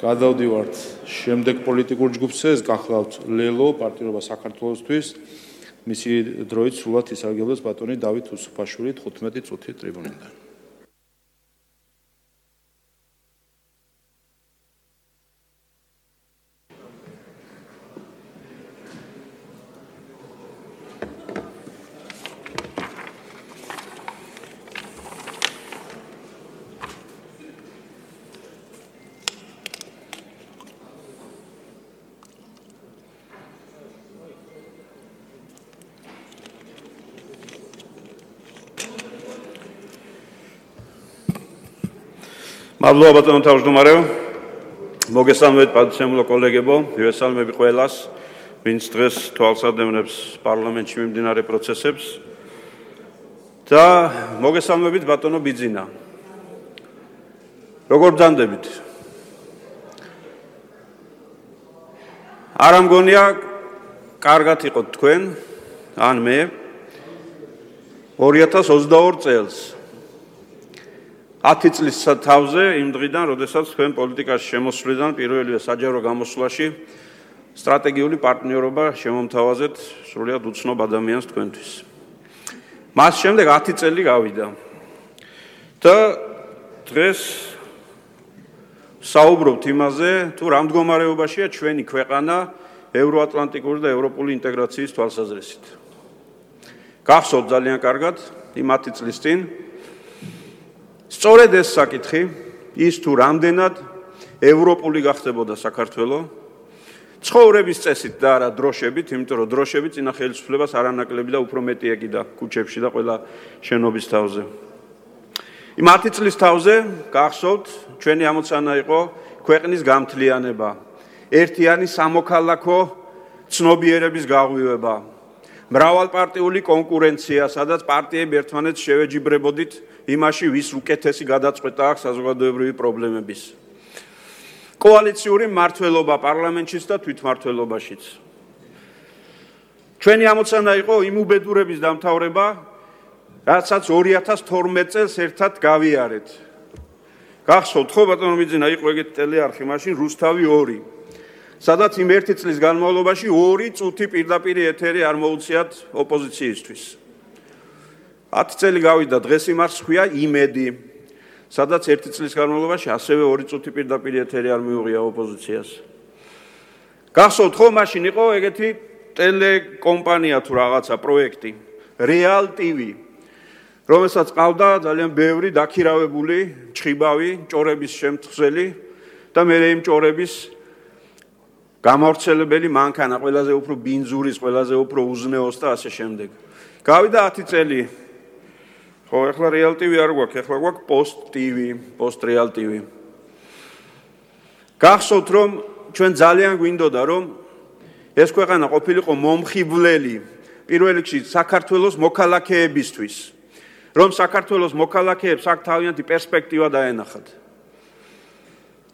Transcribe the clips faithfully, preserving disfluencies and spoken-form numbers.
გადავდივართ შემდეგ პოლიტიკურ ჯგუფზე, ეს გახლავთ ლელო, პარტიულობა საქართველოსთვის. მისი დროით სრულად ისარგებლოს ბატონი დავით უსუფაშვილი თხუთმეტი წუთი ტრიბუნიდან. მადლობა ბატონო თავმჯდომარეო, მოგესალმებით პატივსემულო კოლეგებო, მივესალმები ყველას, ვინც დღეს თვალსადევნებს პარლამენტში მიმდინარე პროცესებს და მოგესალმებით ბატონო ბიძინა. როგორ ბრძანდებით? არ ამგონია კარგად იყოთ თქვენ, ან მე ორი ათას ოცდაორი წელს ათი წლის თავზე იმ დღიდან, როდესაც თქვენ პოლიტიკაში შემოსვლიდან პირველივე საჯარო გამოსვლაში სტრატეგიული პარტნიორობა შემომთავაზეთ სრულიად უცნობ ადამიანს თქვენთვის. მას შემდეგ ათი წელი გავიდა და დღეს საუბრობთ იმაზე, თუ რა მდგომარეობაშია ჩვენი ქვეყანა ევროატლანტიკური და ევროპული ინტეგრაციის თვალსაზრისით. გახსოვთ ძალიან კარგად იმ ათი წლის წინ სწორედ ეს საკითხი, ის თუ რამდენად ევროპული გახდებოდა საქართველო, ცხოვრების წესით და არა დროშებით, იმიტომ რომ დროშები წინა ხელისუფლებას არანაკლები და უფრო მეტი ეკიდა ქუჩებში და ყველა შენობის თავზე. იმ ათი წლის თავზე გახსოვთ, ჩვენი ამოცანა იყო ქვეყნის გამთლიანება, ერთიანი სამოქალაქო ცნობიერების გაღვივება, მრავალპარტიული კონკურენცია, სადაც პარტიები ერთმანეთს შევეჯიბრებოდით იმაში, ვის უკეთესი გადაწყვეტა აქვს საზოგადოებრივი პრობლემების. კოალიციური მმართველობა პარლამენტშიც და თვითმმართველობაშიც. ჩვენი ამოცანა იყო იმ უბედურების დამთავრება, რასაც ორი ათას თორმეტ წელს ერთად გავიარეთ. გახსოვთ ხო ბატონო ბიძინა, იყო ეგეთი ტელეარხი მაშინ რუსთავი ორი. სადაც იმ ერთი წლის განმავლობაში ორი წუთი პირდაპირ ეთერი არ მოუწიათ ოპოზიციისთვის. ათი წელი გავიდა, დღეს იმას ხქვია იმედი, სადაც ერთი წლის განმავლობაში ასევე ორი წუთი პირდაპირ ეთერი არ მიუღია ოპოზიციას. გახსოვთ ხო, მაშინ იყო ეგეთი ტელეკომპანია თუ რაღაცა პროექტი, Real ტი ვი, რომელსაც ყავდა ძალიან ბევრი დაქირავებული ჩხიბავი, ჭორების შემთხზელი და მე იმ ჭორების გამავრცელებელი მანქანა, ყველაზე უფრო ბინძურის, ყველაზე უფრო უზნეოს და ასე შემდეგ. გავიდა ათი წელი. ხო, ეხლა Real ტი ვი არ გვაქვს, ეხლა გვაქვს Post ტი ვი, Post Real ტი ვი. გახსოვთ რომ ჩვენ ძალიან გვინდოდა რომ ეს ქვეყანა ყოფილიყო მომხიბვლელი პირველ რიგში საქართველოს მოქალაქეებისთვის, რომ საქართველოს მოქალაქეებს აქ თავიანთი პერსპექტივა დაენახათ.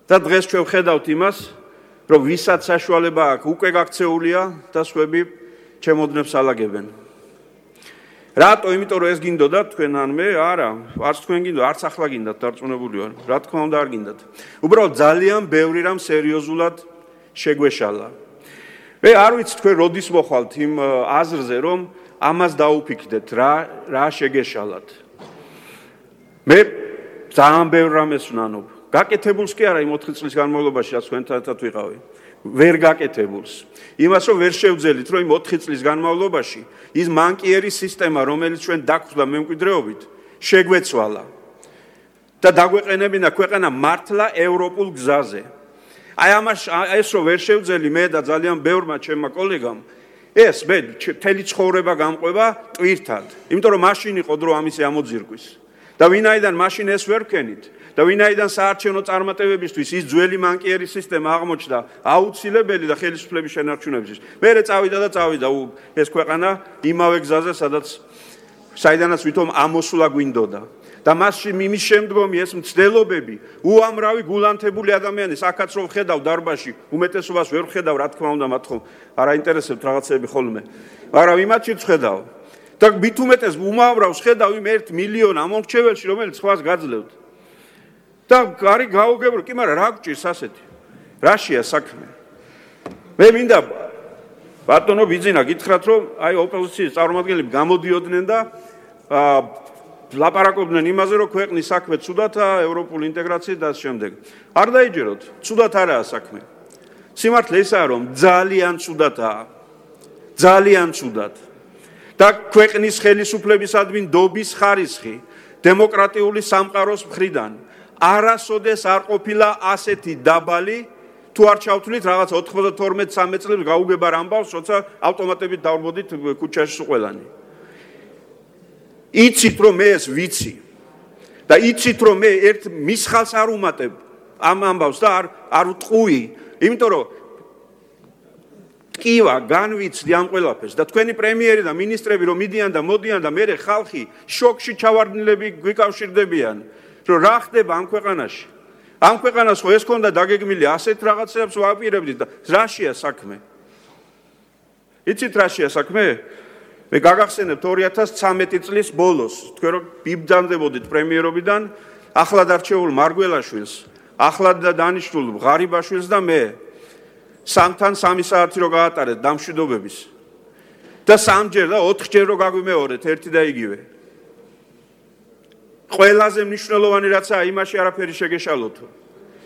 და დღეს ჩვენ ვხედავთ იმას, რომ ვისაც საშუალება აქვს, უკვე გაქცეულია და სხვები ჩემოდნებს ალაგებენ. რატო? იმიტომ რომ ეს გინდოდა თქვენ ან მე? არა, არც თქვენ გინდოდა, არც ახლა გინდათ, დარწმუნებული ვარ. რა თქმა უნდა არ გინდათ. უბრალოდ ძალიან ბევრი რამ სერიოზულად შეგვეშალა. მე არ ვიცი თქვენ როდის მოხვალთ იმ აზრზე, რომ ამას დაუფიქდეთ, რა რა შეგეშალათ. მე ძალიან ბევრ რამეს ვნანობ. გაკეთებულს კი არა იმ ოთხი წლის განმავლობაში, რაც თქვენთან ერთად ვიყავი. ვერ გაკეთებულს. იმას რომ ვერ შევძელით, რომ იმ ოთხი წლის განმავლობაში ის მანკიერი სისტემა, რომელიც ჩვენ დაგვხვდა მემკვიდრეობით, შეგვეცვალა და დაგვეყენებინა ქვეყანა მართლა ევროპულ გზაზე. აი ამას ეს რომ ვერ შევძელი მე და ძალიან ბევრმა ჩემმა კოლეგამ, ეს მე მთელი ცხოვრება გამყვება ტვირთად. იმიტომ რომ მაშინ იყო დრო ამის ამოძირკვის. და ვინაიდან მაშინ ეს ვერ ვქენით და ვინაიდან საარჩევნო წარმატებებისთვის ის ძველი მანკიერი სისტემა აღმოჩნდა აუცილებელი და ხელისუფლების შენარჩუნებისთვის. მერე წავიდა და წავიდა ეს ქვეყანა იმავე გზაზე, სადაც საიდანაც ვითომ ამოსვლა გვინდოდა. და მასში იმის შემდგომი ეს მცდელობები, უამრავი გულანთებული ადამიანი, აქაც რომ ხედავ დარბაში, უმეტესობას ვერ ხედავ, რა თქმა უნდა, მათ ხომ არ აინტერესებთ რაღაცები ხოლმე. მაგრამ იმათშიც ხედავ. და მით უმეტეს უმავრავს ხედავ იმ ერთ მილიონ ამომრჩეველში, რომელიც სხვას გაძლევთ. და არი გაუგებრო, კი, მაგრამ რა გჭირს ასეთი? რაშია საქმე? მე მინდა ბატონო ბიძინა გითხრათ, რომ აი ოპოზიციის წარმომადგენლები გამოდიოდნენ და ლაპარაკობდნენ იმაზე, რომ ქვეყნის საქმე ცუდათაა, ევროპული ინტეგრაცია და ამ შემდეგ. არ დაიჯეროთ, ცუდათ არაა საქმე. სიმართლე ისაა, რომ ძალიან ცუდათაა. ძალიან ცუდათ. და ქვეყნის ხელისუფლებისადმი ნდობის ხარისხი დემოკრატიული სამყაროს მხრიდან არასოდეს არ ყოფილა ასეთი დაბალი, თუ არ ჩავთვლით რაღაც ოთხმოცდათორმეტ სამი წლებს გაუგებარ ამბავს, როცა ავტომატებით დავმოდით ქუჩაში ყველანი. იცით რომ მე ეს ვიცი და იცით რომ მე ერთ მისხალს არ უმატებ ამ ამბავს და არ არ ვტყუი, იმიტომ რომ ტკივა განვიცდი ამ ყველაფერს და თქვენი პრემიერი და მინისტრები რომ მიდიან და მოდიან და მე ხალხი შოკში ჩავარდნილები გვიკავშირდებიან, რომ რა ხდება ამ ქვეყანაში. ამ ქვეყანას ხო ეს ქონდა დაგეგმილი ასეთ რაღაცებს ვაპირებდით და რაშია საქმე? იცით რაშია საქმე? მე გაგახსენებთ ორი ათას ცხრამეტი წლის ბოლოს, თქვენ რომ ბიბძანდებოდით პრემიერობიდან, ახლად არჩეულ მარგველაშვილს, ახლად დანიშნულ ღარიბაშვილს და მე სამთან სამი საათი რო გაატარეთ დამშვიდობების და სამჯერ და ოთხჯერ რო გაგვიმეორეთ ერთი და იგივე. ყველაზე მნიშვნელოვანი რაცაა, იმაში არაფერი შეგეშალოთო.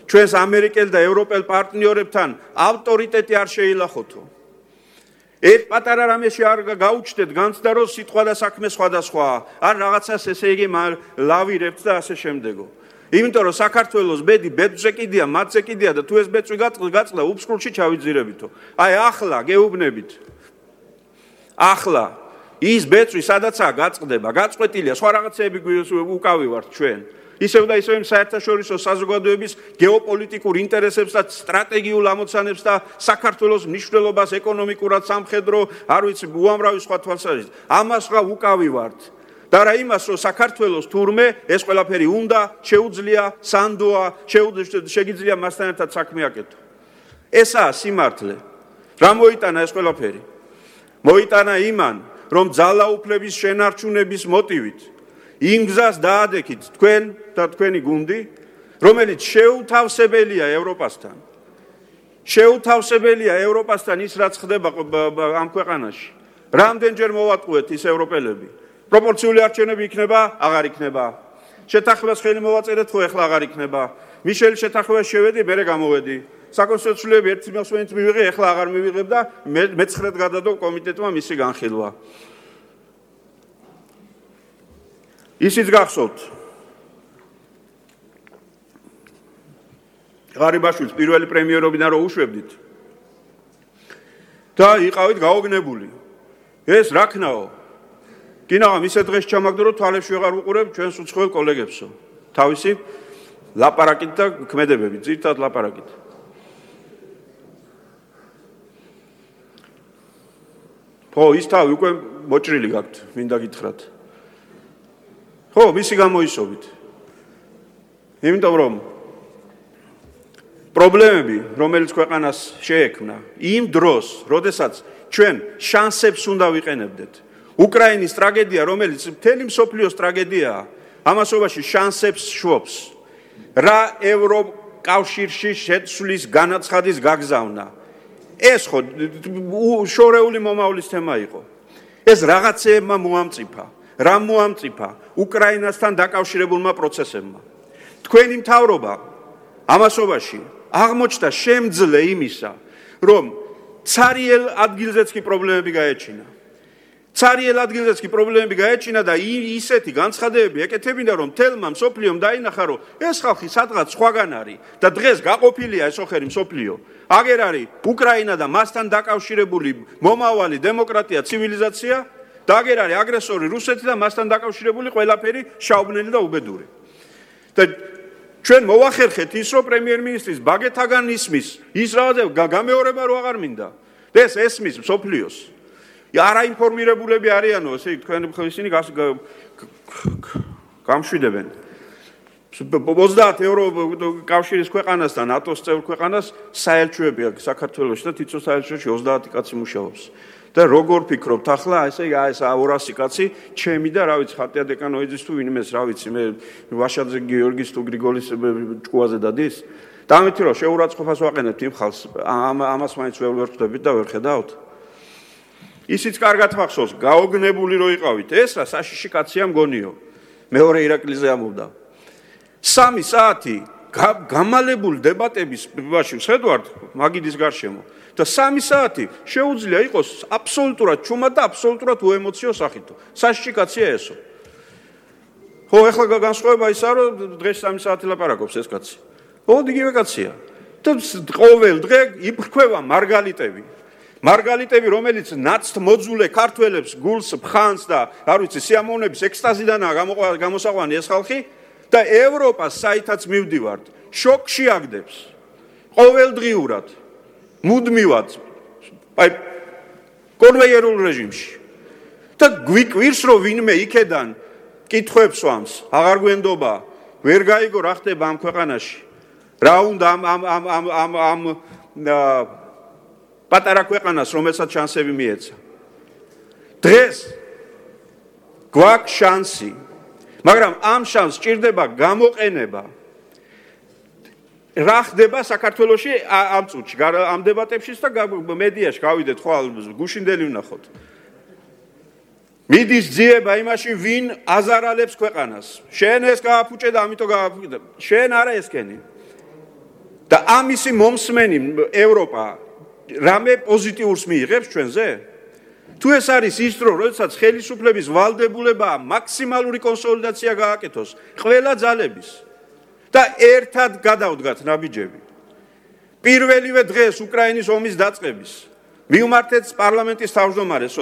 ჩვენს ამერიკელ და ევროპელ პარტნიორებთან ავტორიტეტი არ შეილახოთო. ერთ პატარა რამეში არ გაუჩნდეთ განცდა, რომ სიტყვა და საქმე სხვადასხვაა, არ რაღაცას ესე იგი ლავირებთ და ასე შემდეგო. იმიტომ რომ საქართველოს ბედი ბედზე კიდია, მათზე კიდია და თუ ეს ბეწვი გაწლა უფსკრულში ჩავიძირებითო. აი ახლა გეუბნებით. ახლა ის ბეწვი სადაცაა გაწყდება, გაწყვეტილია, სხვა რაღაცეები უკავივართ ჩვენ. ისევ და ისევ საერთაშორისო საზოგადოების გეოპოლიტიკურ ინტერესებს და სტრატეგიულ ამოცანებს და საქართველოს მნიშვნელობას ეკონომიკურად, სამხედრო, არ ვიცი, უამრავი სხვა თვალსაზრისით. ამას რა უკავივართ. და რა იმას, რომ საქართველოს თურმე ეს ყველაფერი უნდა, შეუძლია, სანდოა, შეგიძლია მასთან ერთად საქმე აკეთო. ესაა სიმართლე. რა მოიტანა ეს ყველაფერი? მოიტანა იმან, რომ ძალაუფლების შენარჩუნების მოტივით იმ გზას დაადექით თქვენ და თქვენი გუნდი, რომელიც შეუთავსებელია ევროპასთან. შეუთავსებელია ევროპასთან ის, რაც ხდება ამ ქვეყანაში. რამდენჯერ მოვატყუეთ ის ევროპელები? პროპორციული არჩევნები იქნება, აღარ იქნება. შეთანხმებას ხელი მოვაწერეთ, ხო ეხლა აღარ იქნება. მიშელის შეთანხმებას შევედი, მერე გამოვედი. საკონსტიტუციოები ერთი მოსვენით მივიღე, ეხლა აღარ მივიღებ და მეცხრედ გადადო კომიტეტმა მისი განხილვა. ისიც გახსოვთ. ღარიბაშვილს პირველი პრემიერობიდან რო უშვებდით და იყავით გაოგნებული. ეს რა ქნაო? კინაღამ ისე დღეს ჩამაგდო, რომ თვალებში ვეღარ ვუყურებ ჩვენს უცხოელ კოლეგებსო. თავისი ლაპარაკით და ქმედებებით, ძირთად ლაპარაკით. ხო, ის თავი უკვე მოჭრილი გაქვთ, მინდა გითხრათ. ხო, მისი გამოისობით. იმიტომ რომ პრობლემები, რომელიც ქვეყანას შეექმნა, იმ დროს, როდესაც ჩვენ შანსებს უნდა ვიყენებდეთ. უკრაინის ტრაგედია, რომელიც მთელი მსოფლიოს ტრაგედიაა, ამასობაში შანსებს შვობს. რა ევროკავშირში შეცვლის განაცხადის გაგზავნა. ეს ხო შორეული მომავლის თემა იყო. ეს რაღაცეებმა მოამწიფა. რა მოამწიფა? უკრაინასთან დაკავშირებულმა პროცესებმა. თქვენი მთავრობა ამასობაში აღმოჩნდა შემძლე იმისა, რომ ცარიელ ადგილზეც კი პრობლემები გაეჩინა. ცარიელ ადგილზეც კი პრობლემები გაეჩინა და ისეთი განცხადებები ეკეთებინა, რომ თელმა მსოფლიომ დაინახა, რომ ეს ხალხი სადღაც სხვაგან არის და დღეს გაყოფილია ეს ოხერი მსოფლიო. აგერ არის უკრაინა და მასთან დაკავშირებული მომავალი დემოკრატია, ცივილიზაცია და აგერ არის აგრესორი რუსეთი და მასთან დაკავშირებული ყველაფერი შაუბნელი და უბედური. და ჩვენ მოვახერხეთ ის, რომ პრემიერ-მინისტრის ბაგეთაგან ისმის, ის რაღაცა გამეორება რო აღარ მინდა. და ეს ესმის მსოფლიოს. არაინფორმირებულები არიანო, ესე თქვენ ისინი გამშვიდებენ. ოცდაათი ევროკავშირის ქვეყანასთან, ნატოს წევრ ქვეყანას საელჩოები აქვს საქართველოში და თითო საელჩოში ოცდაათი კაცი მუშაობს. და როგორ ფიქრობთ ახლა, ესე ეს ორასი კაცი, ჩემი და რა ვიცი, ხატია დეკანოიძის თუ ვინმეს, რა ვიცი, მე ვაშაძე გიორგის თუ გრიგოლის ჭკუაზე დადის. და ამით რომ შეურაცხყოფას ვაყენებთ იმ ხალხს, ამას მაინც ვერ ვხვდებით და ვერ ხედავთ. ისიც კარგად მახსოვს, გაოგნებული რო იყავით, ეს რა საშიში კაცია მგონიო. მეორე ირაკლიზე ამოვდა. სამი საათი გამალებული დებატების ბაში ვხედავთ მაგიდის გარშემო და სამი საათი შეუძლია იყოს აბსოლუტურად ჩუმად და აბსოლუტურად უემოციო სახითო. საშიში კაცია ესო. ხო, ეხლა განსხვავება ისაა, რომ დღეს სამი საათი ლაპარაკობს ეს კაცი. ოღონდ იგივე კაცია. და ყოველ დღე იფრქვევა მარგალიტები. მარგალიტები, რომელიც ნაცთ მოძულე ქართველებს გულს ფხანს და არ ვიცი, სიამოვნების ექსტაზიდანაა გამოსაყვანი ეს ხალხი და ევროპას საითაც მივდივართ, შოკში აგდებს. ყოველდღიურად, მუდმივად, აი კონვეიერულ რეჟიმში. და გვიკვირს, რომ ვინმე იქედან კითხვებს ვამს, აღარ გვენდობა, ვერ გაიგო რა ხდება ამ ქვეყანაში. რა უნდა ამ ამ ამ ამ ამ ამ პატარა ქვეყანას, რომელსაც შანსები მიეცა. დღეს გვაქვს შანსი, მაგრამ ამ შანსს სჭირდება გამოყენება. რა ხდება საქართველოში ამ წუთში, ამ დებატებში და მედიაში გავიდეთ, ხვალ გუშინდელი ვნახოთ. მიდის ძიება იმაში, ვინ აზარალებს ქვეყანას. შენ ეს გააფუჭე და ამიტომ გააფუჭე. შენ არა ესკენი. და ამისი მომსმენი ევროპა რამე პოზიტიურს მიიღებს ჩვენზე? თუ ეს არის ის დრო, როდესაც ხელისუფლების ვალდებულებაა მაქსიმალური კონსოლიდაცია გააკეთოს ყველა ძალების და ერთად გადავდგათ ნაბიჯები. პირველივე დღეს უკრაინის ომის დაწყების მივმართეთ პარლამენტის თავმჯდომარესო,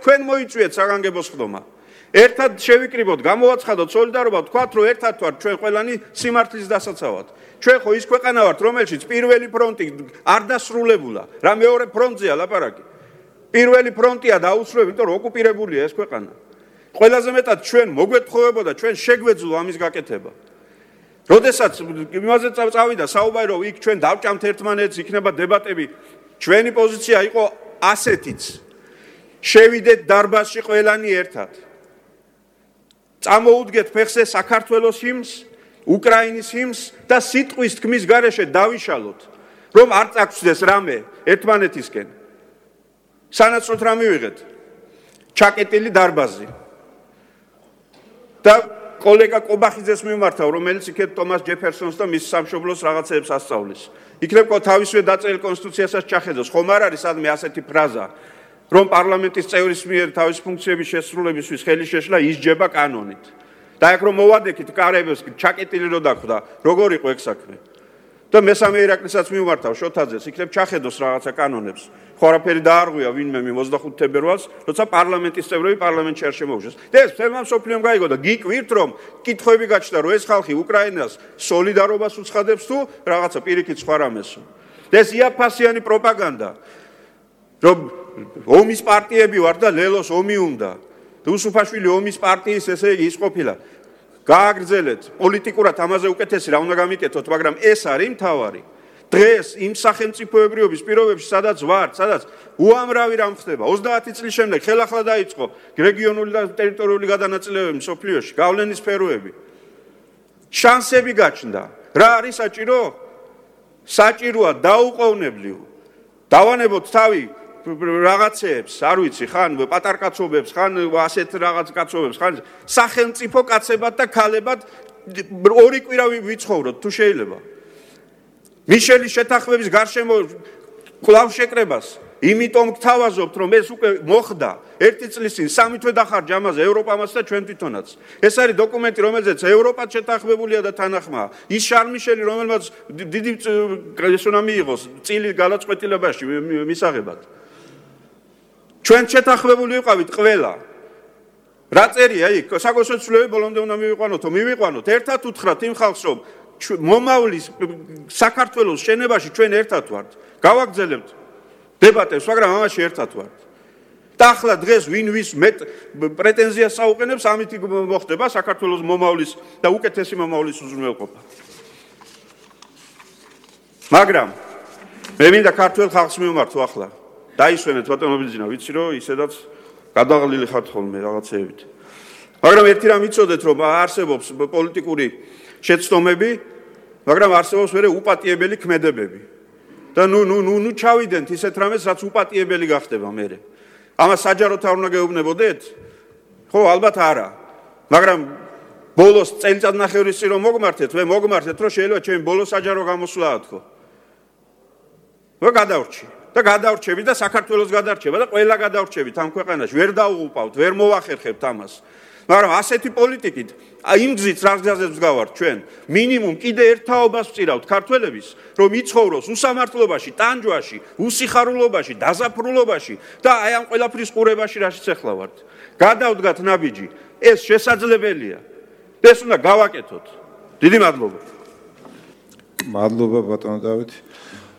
თქვენ მოიწვიეთ საგანგებო სხდომა. ერთად შევიკრიბოთ, გამოვაცხადოთ სოლიდარობა, ვთქვათ, რომ ერთად ვართ ჩვენ ყველანი სიმართლის დასაცავად. ჩვენ ხო ის ქვეყანა ვართ, რომელშიც პირველი ფრონტი არ დასრულებულა, რა მეორე ფრონტზეა ლაპარაკი. პირველი ფრონტია დაუსრულებელი, იმიტომ რომ ოკუპირებულია ეს ქვეყანა. ყველაზე მეტად ჩვენ მოგვეთხოვებოდა, ჩვენ შეგვეძლო ამის გაკეთება. როდესაც იმაზე წავიდა საუბარი, რომ იქ ჩვენ დავჭამთ ერთმანეთს, იქნება დებატები, ჩვენი პოზიცია იყო ასეთიც. შევიდეთ დარბაზში ყველანი ერთად. წამოუდგეთ ფეხზე საქართველოს ჰიმნს, უკრაინის ჰიმნს და სიტყვის თქმის გარეშე დავიშალოთ, რომ არ წაგწდეს რამე ერთმანეთისკენ. სანაცვლოდ რა მივიღეთ? ჩაკეტილი დარბაზი. და კოლეგა კობახიძეს მიმართავ, რომელიც იქეთ თომას ჯეფერსონს და მის სამშობლოს რაღაცეებს ასწავლის. იქნებ თავისვე დაწერილ კონსტიტუციასაც ჩახედოს, ხომ არ არის სადმე ასეთი ფრაზა, რომ პარლამენტის წევრის მიერ თავის ფუნქციების შესრულებისთვის ხელი შეშლა ისჯება კანონით. და აქ რომ მოვადექით კარებს ჩაკეტილი რო დახვდა, როგორ იყო ეგ საქმე? და მესამე ირაკლისაც მიმართავ შოთაძეს, იქნებ ჩახედოს რაღაცა კანონებს. ხო არაფერი დაარღვია ვინმე ოცდახუთი თებერვალს, როცა პარლამენტის წევრები პარლამენტში არ შემოუშვეს. და ეს თემა მსოფლიომ გაიგო და გიკვირთ, რომ კითხვები გაჩნდა, რომ ეს ხალხი უკრაინას სოლიდარობას უცხადებს თუ რაღაცა პირიქით სხვა რამესო. და ეს იაფფასიანი პროპაგანდა, რომ ომის პარტიები ვარ და ლელოს ომი უნდა. უსუფაშვილი ომის პარტიის ესე იგი ის ყოფილა. გააგრძელეთ პოლიტიკურად ამაზე უკეთესი რა უნდა გამიკეთოთ, მაგრამ ეს არის მთავარი. დღეს იმ სახელმწიფოებრიობის პირობებში, სადაც ვართ, სადაც უამრავი რამ ხდება. ოცდაათი წლის შემდეგ ხელახლა დაიწყო რეგიონული და ტერიტორიული გადანაწილებები მსოფლიოში, გავლენის სფეროები. შანსები გაჩნდა. რა არის საჭირო? საჭიროა დაუყოვნებლივ. დავანებოთ თავი რაღაცეებს, არ ვიცი, ხან პატარკაცობებს, ხან ასეთ რაღაც კაცობებს, ხან სახელმწიფო კაცებად და ქალებად ორი კვირა ვიცხოვროთ, თუ შეიძლება. მიშელის შეთანხმების გარშემო კვლავ შეკრებას, იმიტომ გთავაზობთ, რომ ეს უკვე მოხდა ერთი წლის წინ, სამი თვე დახარჯა ამაზე ევროპამაც და ჩვენ თვითონაც. ეს არის დოკუმენტი, რომელზეც ევროპაც შეთანხმებულია და თანახმაა. ის შარმიშელი, რომელმაც დიდი ეს უნდა მიიღოს წილი გადაწყვეტილებაში მისაღებად. ჩვენ შეთანხმებული ვიყავით ყველა. რა წერია იქ? საკონსულტაციო ცვლილებები ბოლომდე უნდა მივიყვანოთო, მივიყვანოთ. ერთად უთხრათ იმ ხალხს, რომ მომავლის საქართველოს შენებაში ჩვენ ერთად ვართ. გავაგრძელებთ დებატებს, მაგრამ ამაში ერთად ვართ. და ახლა დღეს ვინ ვის მეტ პრეტენზიას აუყენებს, ამით მოხდება საქართველოს მომავლის და უკეთესი მომავლის უზრუნველყოფა. მაგრამ მე მინდა ქართულ ხალხს მივმართო ახლა. დაისვენეთ ბატონო ბიძინა, ვიცი რომ ისედაც გადაღლილი ხართ ხოლმე რაღაცეებით. მაგრამ ერთი რამ იცოდეთ, რომ არსებობს პოლიტიკური შეცდომები მაგრამ არსებობს მერე უპატიებელი ქმედებები. და ნუ ნუ ნუ ნუ ჩავიდენთ ისეთ რამეს, რაც უპატიებელი გახდება მერე. ამას საჯაროდ არ უნდა გეუბნებოდეთ? ხო, ალბათ არა. მაგრამ ბოლოს წელიწადნახევრის წინ რომ მოგმართეთ, მე მოგმართეთ, რომ შეიძლება ჩემი ბოლოს საჯარო გამოსვლაა თქო. და გადავრჩი. და გადავრჩები და საქართველოს გადარჩება და ყველა გადავრჩებით ამ ქვეყანაში. ვერ დაუღუპავთ, ვერ მოვახერხებთ ამას. მაგრამ ასეთი პოლიტიკით, იმ გზით რა გზაზე მსგავართ ჩვენ, მინიმუმ კიდე ერთ თაობას ვწირავთ ქართველების, რომ იცხოვროს უსამართლობაში, ტანჯვაში, უსიხარულობაში, დაზაფრულობაში და აი ამ ყველაფრის ყურებაში რაშიც ახლა ვართ. გადავდგათ ნაბიჯი, ეს შესაძლებელია. ეს უნდა გავაკეთოთ. დიდი მადლობა. მადლობა ბატონო დავით.